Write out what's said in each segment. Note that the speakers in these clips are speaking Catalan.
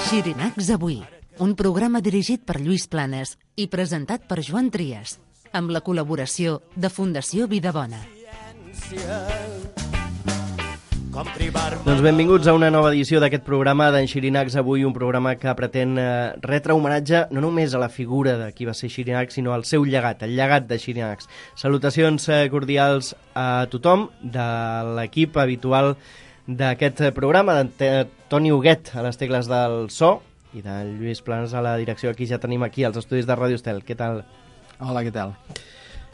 Xirinacs avui, un programa dirigit per Lluís Planes i presentat per Joan Trias, amb la col·laboració de Fundació Vidabona. Doncs benvinguts a una nova edició d'aquest programa d'en Xirinacs avui, un programa que pretén retre homenatge no només a la figura de qui va ser Xirinacs, sinó al seu llegat, el llegat de Xirinacs. Salutacions cordials a tothom de l'equip habitual d'aquest programa, d'Antoni Huguet a les tecles del so i de Lluís Planes a la direcció. Aquí ja tenim aquí als estudis de Ràdio Estel. Què tal? Hola, què tal?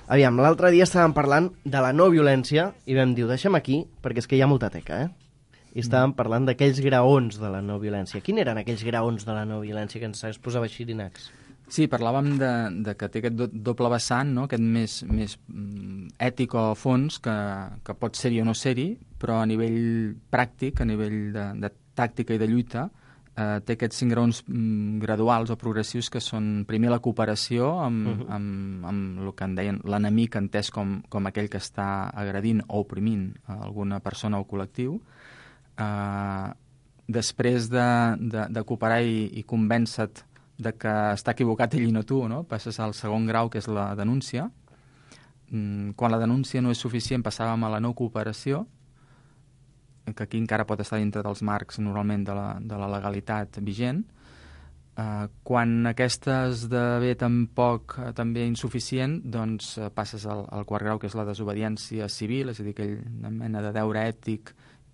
Aviam, l'altre dia estàvem parlant de la no violència i vam dir, ho deixem aquí perquè és que hi ha molta teca, I estàvem parlant d'aquells graons de la no violència. Quins eren aquells graons de la no violència que ens exposava Xirinacs? Sí, parlàvem de que té aquest doble vessant, no? Aquest més ètic o fons, que pot ser-hi o no ser-hi, però a nivell pràctic, a nivell de tàctica i de lluita, té aquests 5 graons graduals o progressius que són primer la cooperació amb el que en deien l'enemic entès com aquell que està agredint o oprimint alguna persona o col·lectiu. Després de cooperar i convèncer-te de que està equivocat ell i no tu, no? Passes al segon grau, que és la denúncia. Quan la denúncia no és suficient, passàvem a la no cooperació, que aquí encara pot estar dintre dels marcs normalment de la legalitat vigent. Quan aquesta esdevé tampoc també insuficient, doncs passes al quart grau, que és la desobediència civil, és a dir, aquella mena de deure ètic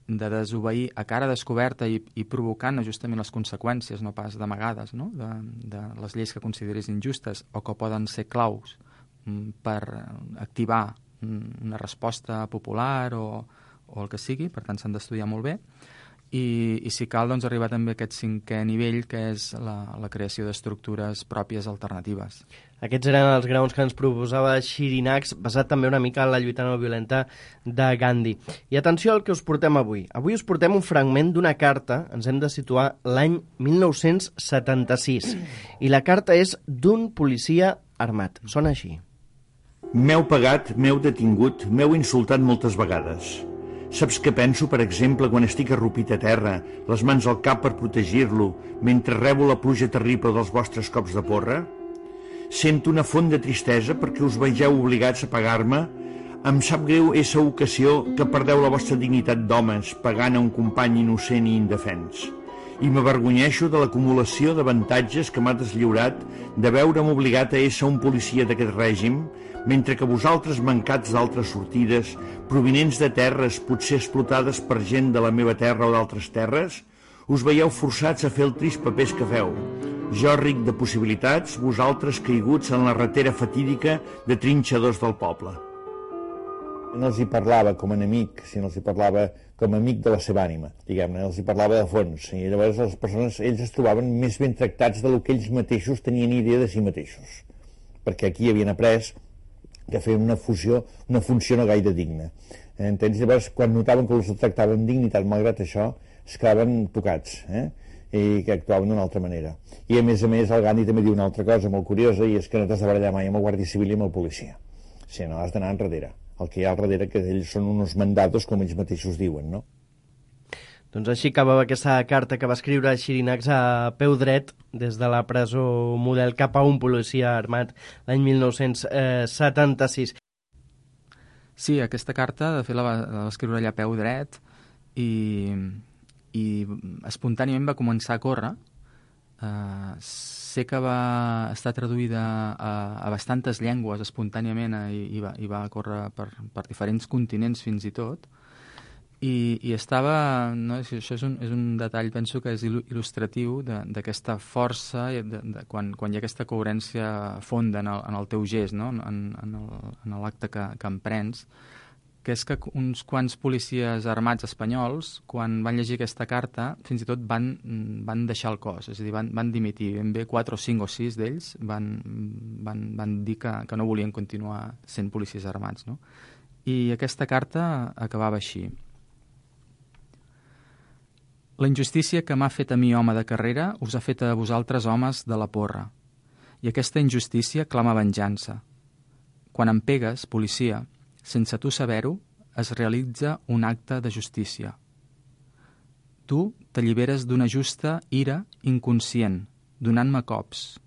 de desobeir a cara descoberta i provocant justament les conseqüències, no pas d'amagades, no? de les lleis que consideris injustes o que poden ser claus per activar una resposta popular o el que sigui. Per tant, s'han d'estudiar molt bé. I si cal, doncs, arribar també a aquest 5è nivell, que és la creació d'estructures pròpies alternatives. Aquests eren els graons que ens proposava Xirinacs, basat també una mica en la lluita no violenta de Gandhi. I atenció al que us portem avui. Avui us portem un fragment d'una carta, ens hem de situar l'any 1976, i la carta és d'un policia armat. Sona així. M'heu pagat, m'heu detingut, m'heu insultat moltes vegades. Saps què penso, per exemple, quan estic arrupit a terra, les mans al cap per protegir-lo, mentre rebo la pluja terrible dels vostres cops de porra? Sento una font de tristesa perquè us vegeu obligats a pagar-me. Em sap greu essa ocasió que perdeu la vostra dignitat d'homes pagant a un company innocent i indefens. I m'avergonyeixo de l'acumulació d'avantatges que m'ha deslliurat de veure'm obligat a ésser un policia d'aquest règim, mentre que vosaltres, mancats d'altres sortides, provinents de terres potser explotades per gent de la meva terra o d'altres terres, us veieu forçats a fer el trist papers que feu. Jo ric de possibilitats, vosaltres caiguts en la ratera fatídica de trinxadors del poble. No els hi parlava com a enemic, sinó els hi parlava com a amic de la seva ànima, diguem-ne, els hi parlava de fons, i llavors les persones, ells es trobaven més ben tractats del que ells mateixos tenien idea de si mateixos, perquè aquí havien après que feien una funció no gaire digna. Entens? Llavors, quan notaven que els tractaven amb dignitat, malgrat això, es quedaven tocats, i que actuaven d'una altra manera. I a més, el Gandhi també diu una altra cosa molt curiosa, i és que no t'has de barallar mai amb el guàrdia civil i amb el policia. Si no, has d'anar enrere. El que hi ha al darrere, que ells són uns mandatos, com ells mateixos diuen, no? Doncs així acabava aquesta carta que va escriure Xirinacs a peu dret des de la presó Model cap a un policia armat l'any 1976. Sí, aquesta carta, de fet, la va escriure allà a peu dret i espontàniament va començar a córrer. Sé que va estar traduïda a bastantes llengües espontàniament i va córrer per diferents continents fins i tot. I estava, no? Això és un detall, penso que és il·lustratiu d'aquesta força quan hi ha aquesta coherència fonda en el teu gest, no? en l'acte que emprens, que és que uns quants policies armats espanyols, quan van llegir aquesta carta, fins i tot van deixar el cos, és a dir, van dimitir. Ben bé 4 o 5 o 6 d'ells van dir que no volien continuar sent policies armats, no? I aquesta carta acabava així. La injustícia que m'ha fet a mi, home de carrera, us ha fet a vosaltres, homes de la porra. I aquesta injustícia clama venjança. Quan em pegues, policia, sense tu saber-ho, es realitza un acte de justícia. Tu t'alliberes d'una justa ira inconscient, donant-me cops.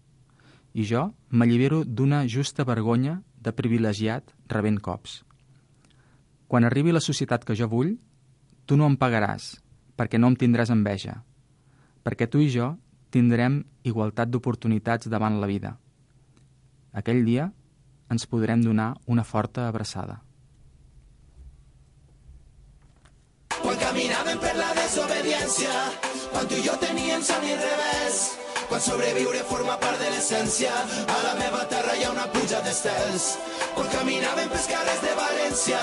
I jo m'allibero d'una justa vergonya de privilegiat rebent cops. Quan arribi la societat que jo vull, tu no em pagaràs, perquè no em tindràs enveja, perquè tu i jo tindrem igualtat d'oportunitats davant la vida. Aquell dia ens podrem donar una forta abraçada. Quan caminàvem per la desobediència, quan tu i jo teníem son i revés, quan sobreviure forma part de l'essència, a la meva terra hi ha una pluja d'estels. Quan caminàvem pels carrers de València,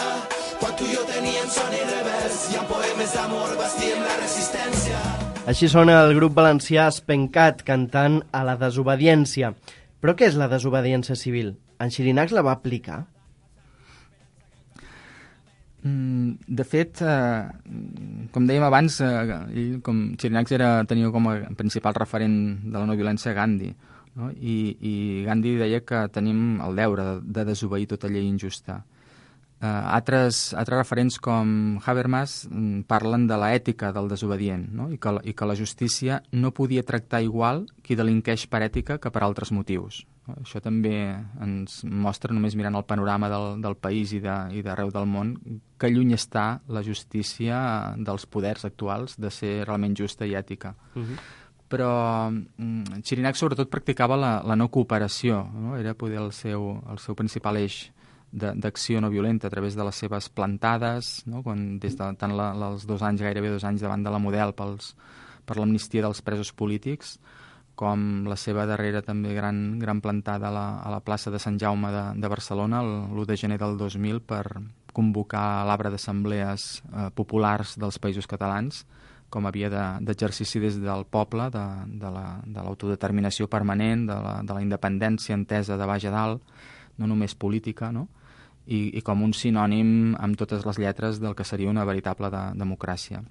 quan tu i jo teníem son i revés, i amb poemes d'amor bastíem la resistència. Així sona el grup valencià Espencat cantant a la desobediència. Però què és la desobediència civil? En Xirinacs la va aplicar? De fet, com dèiem abans, ell, com Xirinacs tenia com a principal referent de la no violència Gandhi, no? I Gandhi deia que tenim el deure de desobeir tota llei injusta. Altres referents com Habermas parlen de l'ètica del desobedient, no? I que la justícia no podia tractar igual qui delinqueix per ètica que per altres motius. Això també ens mostra, només mirant el panorama del país i d'arreu del món, que lluny està la justícia dels poders actuals de ser realment justa i ètica. Però Xirinacs sobretot practicava la no cooperació, no? Era poder el seu principal eix d'acció no violenta a través de les seves plantades, no? Des de tant els 2 anys, gairebé 2 anys davant de la Model per l'amnistia dels presos polítics, com la seva darrera també gran plantada a la plaça de Sant Jaume de Barcelona l'1 de gener del 2000 per convocar l'arbre d'assemblees populars dels països catalans com a via d'exercici des del poble de l'autodeterminació permanent, de la independència entesa de baix a dalt, no només política, no? I com un sinònim amb totes les lletres del que seria una veritable democràcia.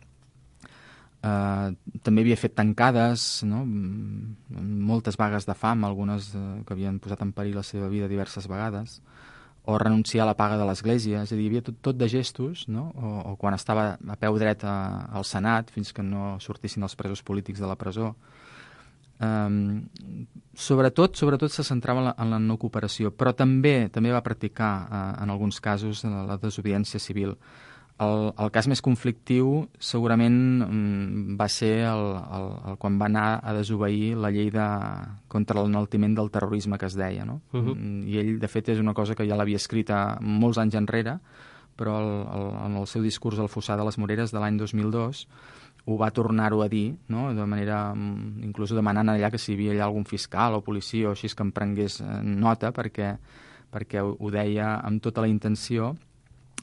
També havia fet tancades, no? Moltes vagues de fam, algunes que havien posat en perill la seva vida diverses vegades, o renunciar a la paga de l'Església, és a dir, hi havia tot de gestos, no? O quan estava a peu dret al Senat, fins que no sortissin els presos polítics de la presó. Sobretot se centrava en la no cooperació, però també va practicar en alguns casos la desobediència civil. El cas més conflictiu segurament va ser quan va anar a desobeir la llei contra l'enaltiment del terrorisme que es deia, no? I ell, de fet, és una cosa que ja l'havia escrita molts anys enrere, però en el seu discurs al Fossar de les Moreres de l'any 2002 ho va tornar-ho a dir, no? De manera, inclús demanant allà que si hi havia allà algun fiscal o policia o així que en prengués nota, perquè ho deia amb tota la intenció,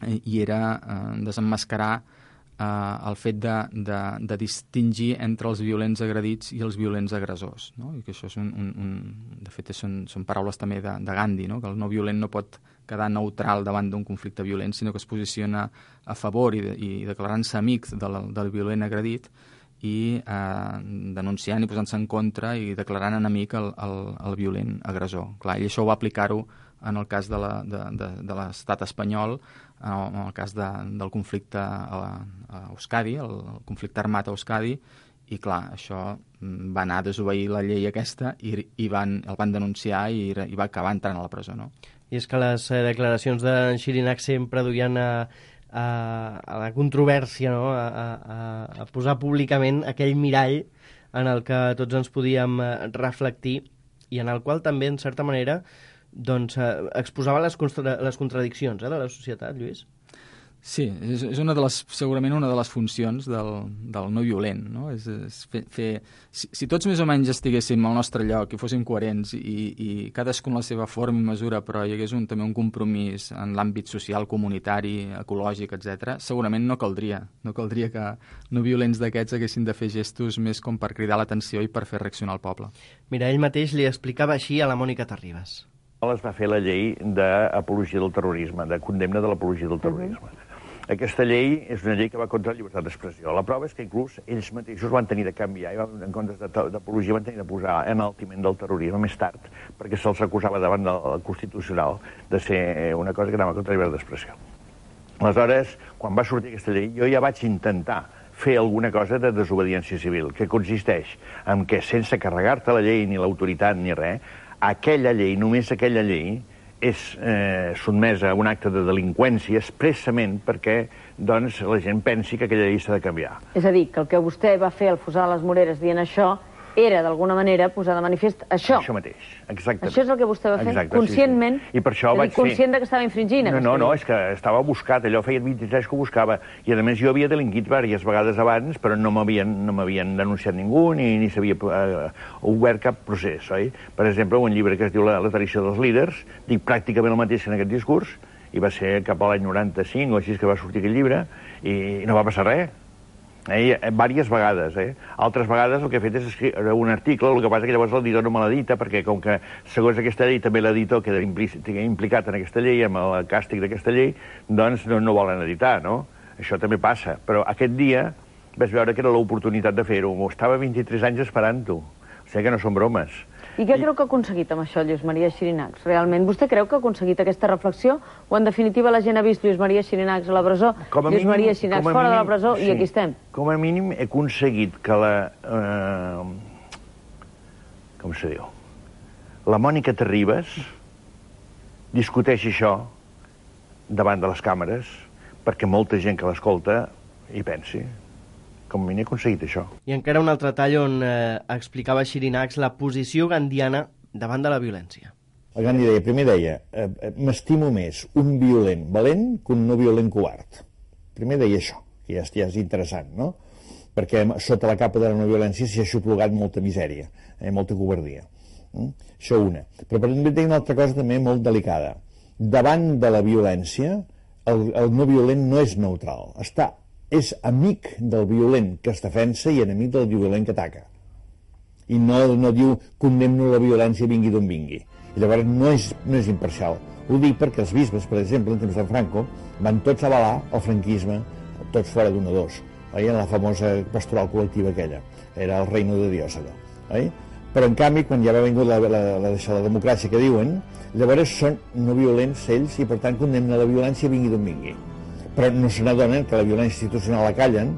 i era desemmascarar el fet de distingir entre els violents agredits i els violents agressors, no? I que això és de fet són paraules també de Gandhi, no? Que el no violent no pot quedar neutral davant d'un conflicte violent, sinó que es posiciona a favor i declarant-se amic del violent agredit i denunciant i posant-se en contra i declarant enemic el violent agressor. Clar, i això ho va aplicar-ho en el cas de l'estat espanyol, en el cas del conflicte a Euskadi, el conflicte armat a Euskadi, i clar, això va anar a desobeir la llei aquesta i el van denunciar i va acabar entrant a la presó, no? I és que les declaracions d'en Xirinacs sempre duien a la controvèrsia, no? A posar públicament aquell mirall en el que tots ens podíem reflectir i en el qual també, en certa manera, doncs, exposava les contradiccions de la societat, Lluís. Sí, és segurament una de les funcions del no violent, no? És fer... Si tots més o menys estiguéssim al nostre lloc i fóssim coherents i cadascun la seva forma i mesura, però hi hagués també un compromís en l'àmbit social, comunitari, ecològic, etc., segurament no caldria que no violents d'aquests haguessin de fer gestos més com per cridar l'atenció i per fer reaccionar el poble. Mira, ell mateix li explicava així a la Mònica Terribas. Es va fer la llei d'apologia del terrorisme, de condemna de l'apologia del terrorisme. Aquesta llei és una llei que va contra la llibertat d'expressió. La prova és que inclús ells mateixos van tenir de canviar i en comptes d'apologia van tenir de posar enaltiment del terrorisme més tard, perquè se'ls acusava davant del Constitucional de ser una cosa que anava contra la llibertat d'expressió. Aleshores, quan va sortir aquesta llei, jo ja vaig intentar fer alguna cosa de desobediència civil, que consisteix en que, sense carregar-te la llei, ni l'autoritat, ni res, aquella llei, només aquella llei, és sotmesa a un acte de delinqüència expressament perquè doncs, la gent pensi que aquella llei s'ha de canviar. És a dir, que el que vostè va fer al Fossar de les Moreres dient això era, d'alguna manera, posar de manifest això. Això mateix, exactament. Això és el que vostè va fer, exacte, conscientment, sí. I per això vaig conscient de que estava infringint. No, és que estava buscat, allò feia 23 que ho buscava, i a més jo havia delinquit diverses vegades abans, però no m'havien denunciat ningú, ni s'havia obert cap procés, oi? Per exemple, un llibre que es diu La traïció dels líders, dic pràcticament el mateix que en aquest discurs, i va ser cap a l'any 95 o així que va sortir aquest llibre, i no va passar res. Vàries vegades. Altres vegades el que he fet és escriure un article, el que passa que llavors l'editor no me l'edita, perquè com que segons aquesta llei també l'editor queda implicat en aquesta llei, amb el càstig d'aquesta llei, doncs no volen editar, no? Això també passa. Però aquest dia vaig veure que era l'oportunitat de fer-ho. Estava 23 anys esperant-ho. O sigui que no són bromes. I què creu que ha aconseguit amb això Lluís Maria Xirinacs? Realment, vostè creu que ha aconseguit aquesta reflexió? O, en definitiva, la gent ha vist Lluís Maria Xirinacs a la presó, Lluís Maria Xirinacs fora de la presó, i aquí estem? Com a mínim he aconseguit que com se diu? La Mònica Terribas discuteixi això davant de les càmeres perquè molta gent que l'escolta hi pensi. Com a mínim he aconseguit això. I encara un altre tall on explicava Xirinacs la posició gandiana davant de la violència. El Gandhi deia, m'estimo més un violent valent que un no violent covard. Primer deia això, que ja és interessant, no? Perquè sota la capa de la no violència s'hi ha xuplugat molta misèria, molta covardia. Això una. Però també deia una altra cosa també molt delicada. Davant de la violència, el no violent no és neutral, és amic del violent que es defensa i enemic del violent que ataca. I no diu condemno la violència vingui d'on vingui. I llavors no és imparcial. Ho dic perquè els bisbes, per exemple, en temps de Franco, van tots avalar el franquisme, tots fora d'un o dos, en la famosa pastoral col·lectiva aquella. Era el reino de Dios, allò. Però, en canvi, quan ja va vingut la democràcia que diuen, llavors són no violents ells i, per tant, condemnen la violència vingui d'on vingui. Però no se n'adonen que la violència institucional la callen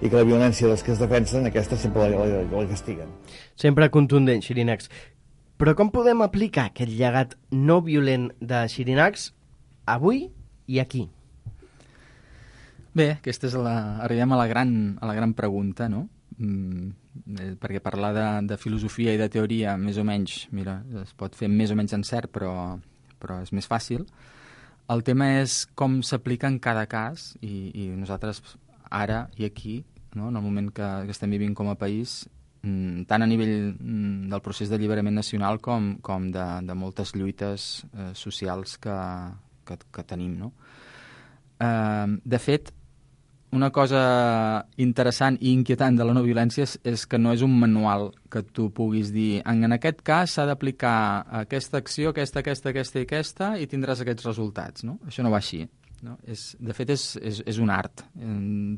i que la violència dels que es defensen, aquesta sempre la castiguen. Sempre contundent, Xirinacs. Però com podem aplicar aquest llegat no violent de Xirinacs avui i aquí? Bé, aquesta és arribem a la gran pregunta, no? Perquè parlar de filosofia i de teoria, més o menys, mira, es pot fer més o menys encert, però és més fàcil. El tema és com s'aplica en cada cas i nosaltres ara i aquí, no, en el moment que estem vivint com a país, tant a nivell del procés d'alliberament nacional com de moltes lluites socials que tenim. No? De fet, una cosa interessant i inquietant de la no violència és que no és un manual que tu puguis dir en aquest cas s'ha d'aplicar aquesta acció, aquesta i aquesta i tindràs aquests resultats. No? Això no va així. No? De fet, és un art.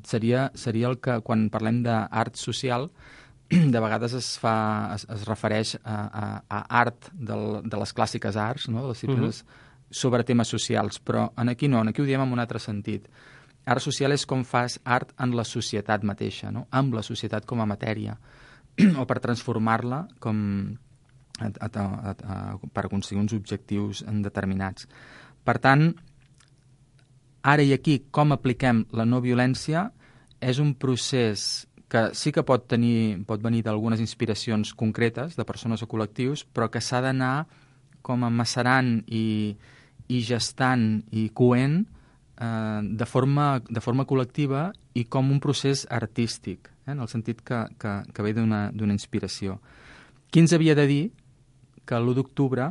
Seria el que, quan parlem d'art social, de vegades es refereix a art de les clàssiques arts, no? De les disciplines sobre temes socials, però aquí no, aquí ho diem en un altre sentit. Art social és com fas art en la societat mateixa, no? Amb la societat com a matèria, o per transformar-la per aconseguir uns objectius determinats. Per tant, ara i aquí, com apliquem la no violència és un procés que sí que pot venir d'algunes inspiracions concretes de persones o col·lectius, però que s'ha d'anar com a macerant i gestant i coent de forma col·lectiva i com un procés artístic, en el sentit que ve d'una inspiració. Qui ens havia de dir que l'1 d'octubre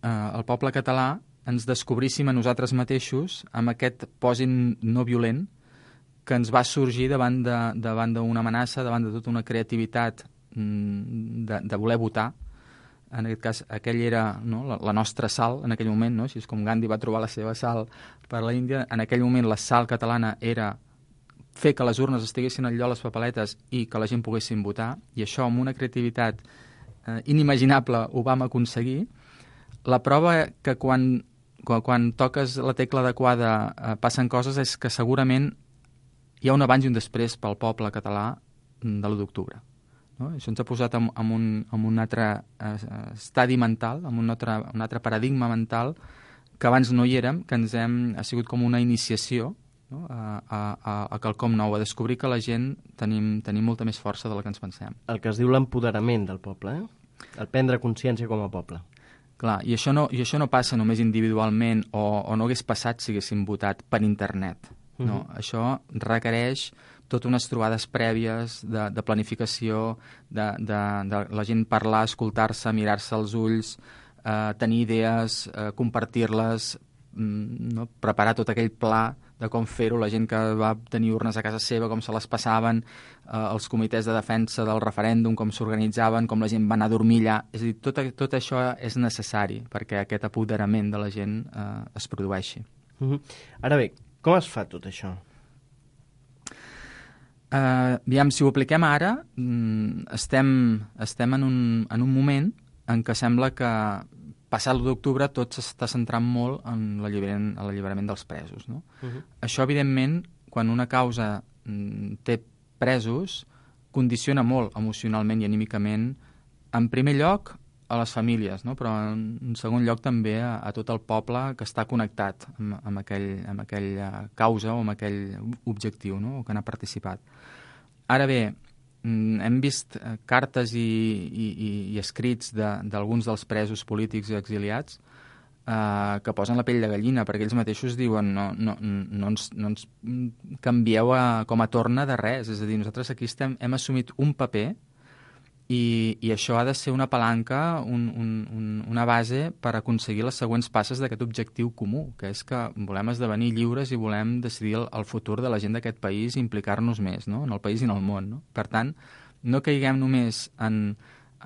el poble català ens descobríssim a nosaltres mateixos amb aquest pòsit no violent que ens va sorgir davant d'una amenaça, davant de tota una creativitat de voler votar. En aquest cas, aquell era, no, la nostra sal en aquell moment, no? Així és com Gandhi va trobar la seva sal per la Índia. En aquell moment la sal catalana era fer que les urnes estiguessin al lloc les papeletes i que la gent poguessin votar, i això amb una creativitat inimaginable ho vam aconseguir. La prova que quan toques la tecla adequada passen coses és que segurament hi ha un abans i un després pel poble català de l'1 d'octubre. No? Això ens ha posat en un altre estadi mental, en un altre paradigma mental que abans no hi érem, que ha sigut com una iniciació, no? a quelcom nou, a descobrir que la gent tenim molta més força de la que ens pensem. El que es diu l'empoderament del poble, el prendre consciència com a poble. Clar, i això no passa només individualment o no hagués passat si haguéssim votat per internet. No? Això requereix totes unes trobades prèvies de planificació, de la gent parlar, escoltar-se, mirar-se als ulls, tenir idees, compartir-les, no? Preparar tot aquell pla de com fer-ho, la gent que va tenir urnes a casa seva, com se les passaven, els comitès de defensa del referèndum, com s'organitzaven, com la gent va anar a dormir allà. És a dir, tot això és necessari perquè aquest apoderament de la gent es produeixi. Ara bé, com es fa tot això? Aviam, si ho apliquem ara, estem en un moment en què sembla que passat l'1 d'octubre tot s'està centrant molt en l'alliberament dels presos. No? Això, evidentment, quan una causa té presos, condiciona molt emocionalment i anímicament, en primer lloc, a les famílies, no? Però en segon lloc també a tot el poble que està connectat amb aquella causa o amb aquell objectiu, no? O que n'ha participat. Ara bé, hem vist cartes i escrits d'alguns dels presos polítics i exiliats que posen la pell de gallina, perquè ells mateixos diuen no ens canvieu com a torna de res. És a dir, nosaltres aquí hem assumit un paper i això ha de ser una palanca, una base per aconseguir les següents passes d'aquest objectiu comú, que és que volem esdevenir lliures i volem decidir el futur de la gent d'aquest país i implicar-nos més, no? En el país i en el món. No? Per tant, no caiguem només ni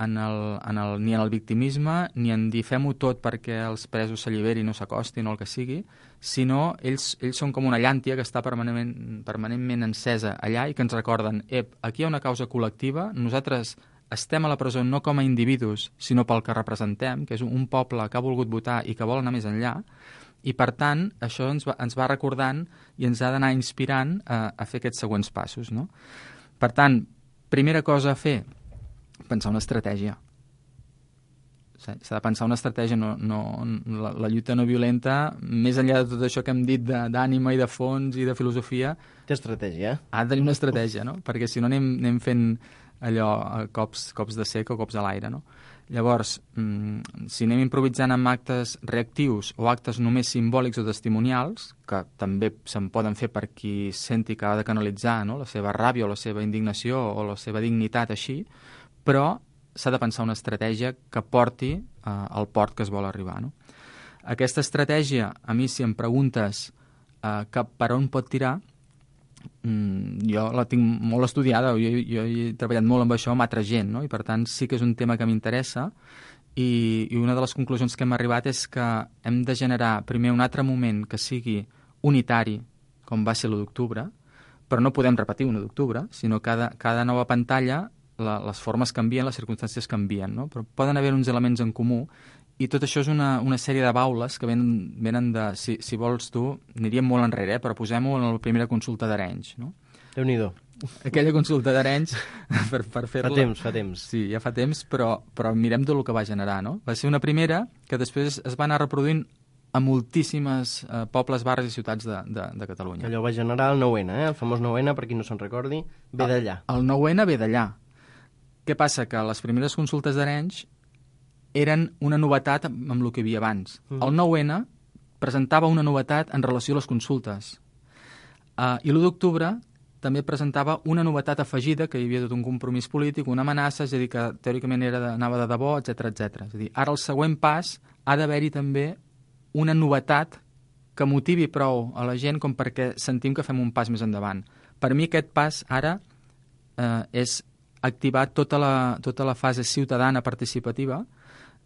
en el victimisme ni en dir fem-ho tot perquè els presos s'alliberin o s'acostin o el que sigui, sinó ells són com una llàntia que està permanentment encesa allà i que ens recorden aquí hi ha una causa col·lectiva, nosaltres estem a la presó no com a individus, sinó pel que representem, que és un poble que ha volgut votar i que vol anar més enllà, i per tant això ens va recordant i ens ha d'anar inspirant a fer aquests següents passos. No? Per tant, primera cosa a fer, pensar una estratègia. S'ha de pensar una estratègia, la lluita no violenta, més enllà de tot això que hem dit d'ànima i de fons i de filosofia... Té estratègia. Ha de tenir una estratègia, no? Perquè si no anem fent allò, cops de sec o cops a l'aire, no? Llavors, si anem improvisant amb actes reactius o actes només simbòlics o testimonials, que també se'n poden fer per qui senti que ha de canalitzar, no? La seva ràbia o la seva indignació o la seva dignitat així, però s'ha de pensar una estratègia que porti al port que es vol arribar. No? Aquesta estratègia, a mi, si em preguntes per on pot tirar, jo la tinc molt estudiada, jo he treballat molt amb això amb altra gent, no? I per tant sí que és un tema que m'interessa i una de les conclusions que hem arribat és que hem de generar primer un altre moment que sigui unitari, com va ser l'1 d'octubre, però no podem repetir 1 d'octubre, sinó cada nova pantalla les formes canvien, les circumstàncies canvien, no? Però poden haver uns elements en comú i tot això és una sèrie de baules que venen de... Si vols tu, aniríem molt enrere, però posem-ho en la primera consulta d'Arenys, no? Déu-n'hi-do. Aquella consulta d'Arenys, per fer-la... Fa temps. Sí, ja fa temps, però mirem tot el que va generar, no? Va ser una primera que després es va anar reproduint a moltíssimes pobles, barris i ciutats de Catalunya. Allò va generar el 9-N, el famós 9-N, per qui no se'n recordi, ve d'allà. El 9-N ve d'allà. Què passa? Que les primeres consultes d'Arenys eren una novetat amb el que hi havia abans. El 9-N presentava una novetat en relació a les consultes. I l'1 d'octubre també presentava una novetat afegida, que hi havia tot un compromís polític, una amenaça, és a dir, que teòricament anava de debò, etc. És a dir, ara el següent pas ha d'haver-hi també una novetat que motivi prou a la gent com perquè sentim que fem un pas més endavant. Per mi aquest pas ara és activar tota la fase ciutadana participativa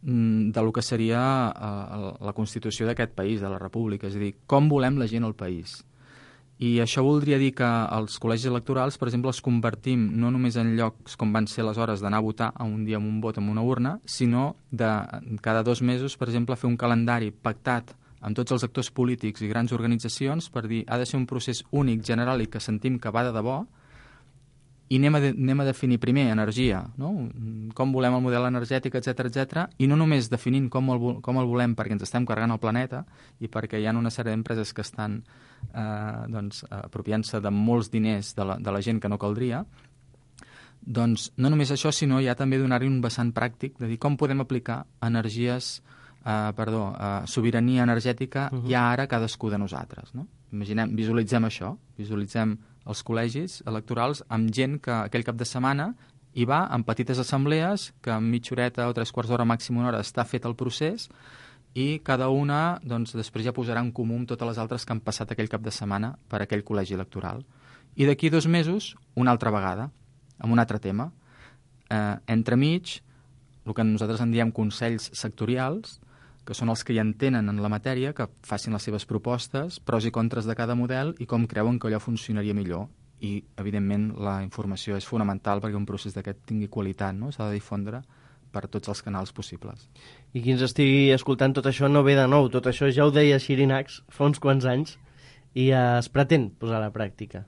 de lo que seria la Constitució d'aquest país, de la República, és a dir, com volem la gent al país. I això voldria dir que els col·legis electorals, per exemple, els convertim no només en llocs com van ser les hores d'anar a votar a un dia amb un vot amb una urna, sinó de cada 2 mesos, per exemple, fer un calendari pactat amb tots els actors polítics i grans organitzacions per dir ha de ser un procés únic, general i que sentim que va de debò, i anem a definir primer energia, no? Com volem el model energètic, etc, i no només definint com el volem perquè ens estem carregant el planeta i perquè hi ha una sèrie d'empreses que estan apropiant-se de molts diners de la gent que no caldria, doncs no només això, sinó ja també donar-hi un vessant pràctic de dir com podem aplicar sobirania energètica ja ara cadascú de nosaltres, no? Visualitzem això, visualitzem els col·legis electorals amb gent que aquell cap de setmana hi va en petites assemblees, que en mitja horeta o 3/4 d'hora, màxim una hora, està fet el procés i cada una després ja posarà en comú amb totes les altres que han passat aquell cap de setmana per aquell col·legi electoral. I d'aquí 2 mesos, una altra vegada, amb un altre tema. Entremig, el que nosaltres en diem consells sectorials, que són els que hi entenen en la matèria, que facin les seves propostes, pros i contres de cada model i com creuen que allò funcionaria millor. I, evidentment, la informació és fonamental perquè un procés d'aquest tingui qualitat, no? S'ha de difondre per tots els canals possibles. I qui ens estigui escoltant, tot això no ve de nou. Tot això ja ho deia Xirinacs fa uns quants anys i es pretén posar a la pràctica.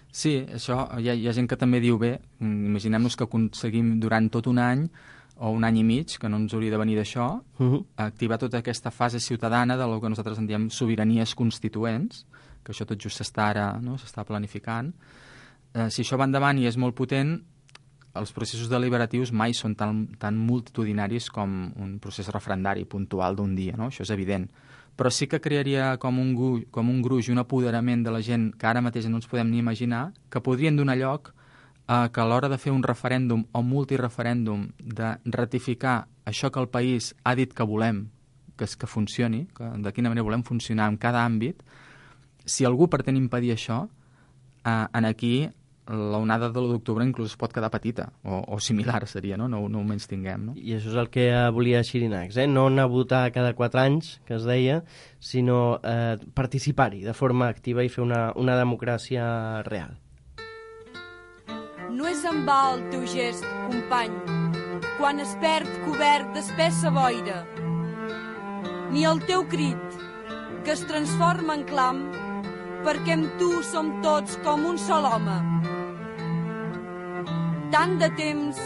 Sí, això hi ha gent que també diu bé. Imaginem-nos que aconseguim durant tot un any o un any i mig, que no ens hauria de venir d'això, activar tota aquesta fase ciutadana del que nosaltres en diem sobiranies constituents, que això tot just s'està planificant. Si això va endavant i és molt potent, els processos deliberatius mai són tan multitudinaris com un procés referendari puntual d'un dia, no? Això és evident. Però sí que crearia com un gruix i un apoderament de la gent que ara mateix no ens podem ni imaginar, que podrien donar lloc que a l'hora de fer un referèndum o multireferèndum, de ratificar això que el país ha dit que volem, que funcioni, de quina manera volem funcionar en cada àmbit, si algú pretén impedir això, aquí l'onada de l'1 d'octubre inclús es pot quedar petita, o similar seria, no ho menys tinguem. No? I això és el que volia Xirinacs, no anar a votar cada 4 anys, que es deia, sinó participar-hi de forma activa i fer una democràcia real. No és en va el teu gest, company, quan es perd cobert d'espessa boira, ni el teu crit, que es transforma en clam, perquè amb tu som tots com un sol home. Tant de temps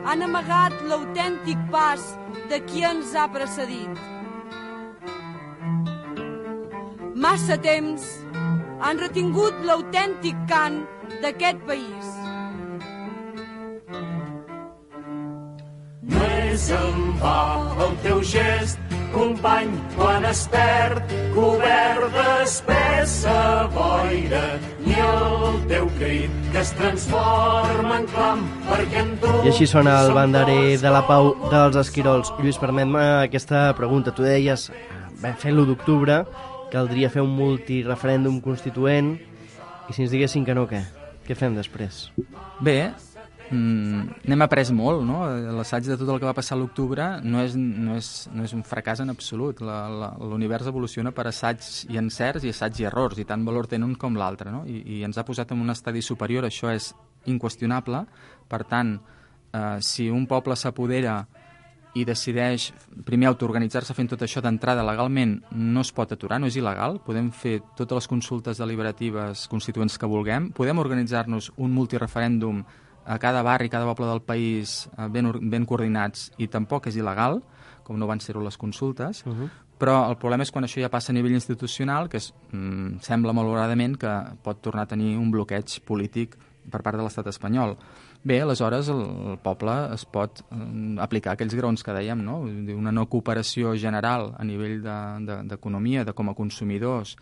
han amagat l'autèntic pas de qui ens ha precedit. Massa temps han retingut l'autèntic cant d'aquest país. No és en va el teu gest, company, quan es perd cobert d'espessa boira, ni el teu crit que es transforma en clam, perquè en tu... I així sona el banderer de la Pau dels Esquirols. Lluís, permet-me aquesta pregunta. Tu deies, fent l'1 d'octubre, caldria fer un multireferèndum constituent, i si ens diguessin que no, què? Què fem després? Bé, n'hem après molt, no? L'assaig de tot el que va passar a l'octubre no és un fracàs en absolut. L'univers evoluciona per assaigs i encerts i assaigs i errors, i tant valor tenen un com l'altre, no? I ens ha posat en un estadi superior, això és inqüestionable. Per tant, si un poble s'apodera i decideix primer autoorganitzar-se fent tot això d'entrada legalment, no es pot aturar, no és il·legal. Podem fer totes les consultes deliberatives constituents que vulguem, podem organitzar-nos un multireferèndum a cada barri, cada poble del país ben coordinats, i tampoc és il·legal, com no van ser-ho les consultes, però el problema és quan això ja passa a nivell institucional, que sembla malauradament que pot tornar a tenir un bloqueig polític per part de l'estat espanyol. Bé, aleshores el poble es pot aplicar aquells graons que dèiem, no? Una no cooperació general a nivell d'economia, de com a consumidors,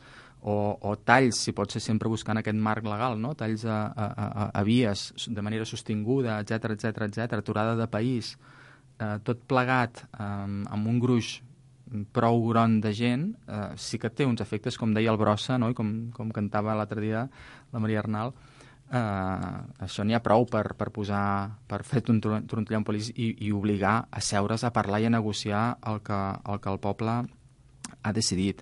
o talls, si pot ser sempre buscant aquest marc legal, no? Talls a vies de manera sostinguda, etc, aturada de país, tot plegat amb un gruix prou gron de gent, sí que té uns efectes, com deia el Brossa, no? I com cantava l'altre dia la Maria Arnal, això n'hi ha prou per fer trontollar un país i obligar a seure's a parlar i a negociar el que el poble ha decidit.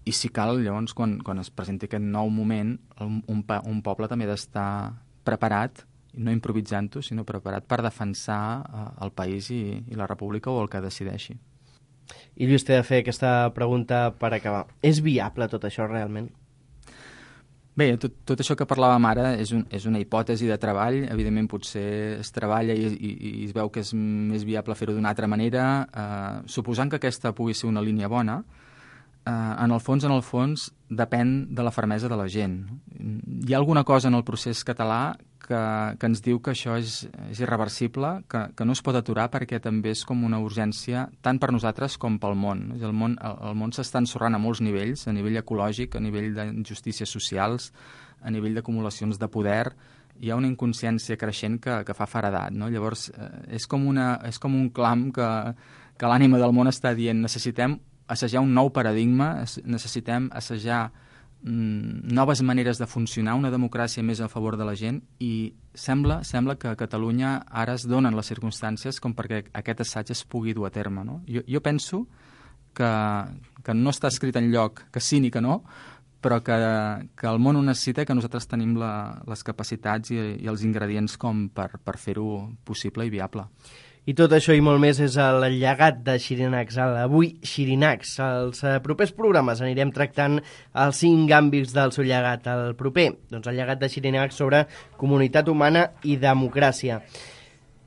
I si cal, llavors, quan es presenti aquest nou moment, un poble també ha d'estar preparat, no improvisant-ho, sinó preparat per defensar el país i la república o el que decideixi. I Lluís, t'he de fer aquesta pregunta per acabar. És viable tot això realment? Bé, tot això que parlàvem ara és una hipòtesi de treball. Evidentment, potser es treballa i es veu que és més viable fer-ho d'una altra manera. Suposant que aquesta pugui ser una línia bona, en el fons, depèn de la fermesa de la gent. Hi ha alguna cosa en el procés català que ens diu que això és irreversible, que no es pot aturar perquè també és com una urgència tant per nosaltres com pel món. El món s'està ensorrant a molts nivells, a nivell ecològic, a nivell d'injustícies socials, a nivell d'acumulacions de poder. Hi ha una inconsciència creixent que fa feredat, no? Llavors, és com un clam que l'ànima del món està dient: necessitem assajar un nou paradigma, necessitem assajar noves maneres de funcionar, una democràcia més a favor de la gent, i sembla que a Catalunya ara es donen les circumstàncies com perquè aquest assaig es pugui dur a terme, no? Jo penso que no està escrit enlloc que sí ni que no, però que el món ho necessita i que nosaltres tenim les capacitats i els ingredients com per fer-ho possible i viable. I tot això i molt més és el llegat de Xirinacs, avui Xirinacs. Als propers programes anirem tractant els 5 àmbits del seu llegat. El proper, doncs el llegat de Xirinacs sobre comunitat humana i democràcia.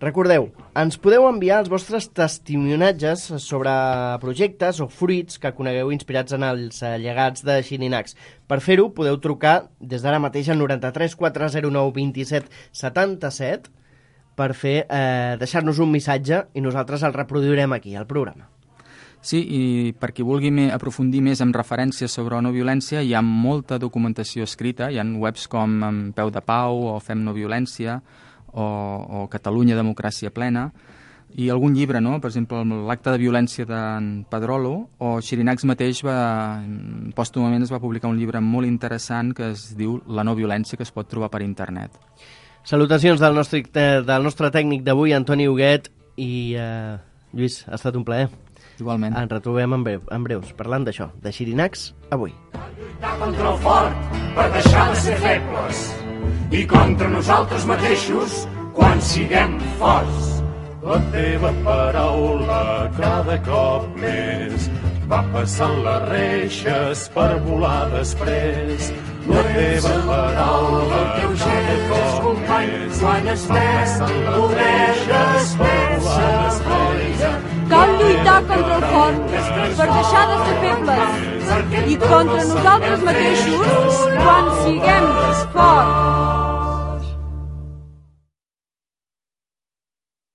Recordeu, ens podeu enviar els vostres testimoniatges sobre projectes o fruits que conegueu inspirats en els llegats de Xirinacs. Per fer-ho podeu trucar des d'ara mateix al 93 409 27 77 per deixar-nos un missatge i nosaltres el reproduirem aquí, al programa. Sí, i per qui vulgui aprofundir més en referències sobre no violència, hi ha molta documentació escrita, hi ha webs com Peu de Pau o Fem no violència o Catalunya Democràcia Plena, i algun llibre, no? Per exemple, l'Acte de violència d'en Pedrolo, o Xirinacs mateix pòstumament es va publicar un llibre molt interessant que es diu La no violència, que es pot trobar per internet. Salutacions del nostre tècnic d'avui, Antoni Huguet, i Lluís, ha estat un plaer. Igualment. Ens retrobem en breus, parlant d'això, de Xirinacs, avui. Cal lluitar contra el fort per deixar de ser febles i contra nosaltres mateixos quan siguem forts. La teva paraula cada cop més va passant les reixes per volar després. La teva paraula cada cop més va passant les reixes per volar després. Cal lluitar contra el fort per deixar de ser febles i contra nosaltres mateixos quan siguem forts.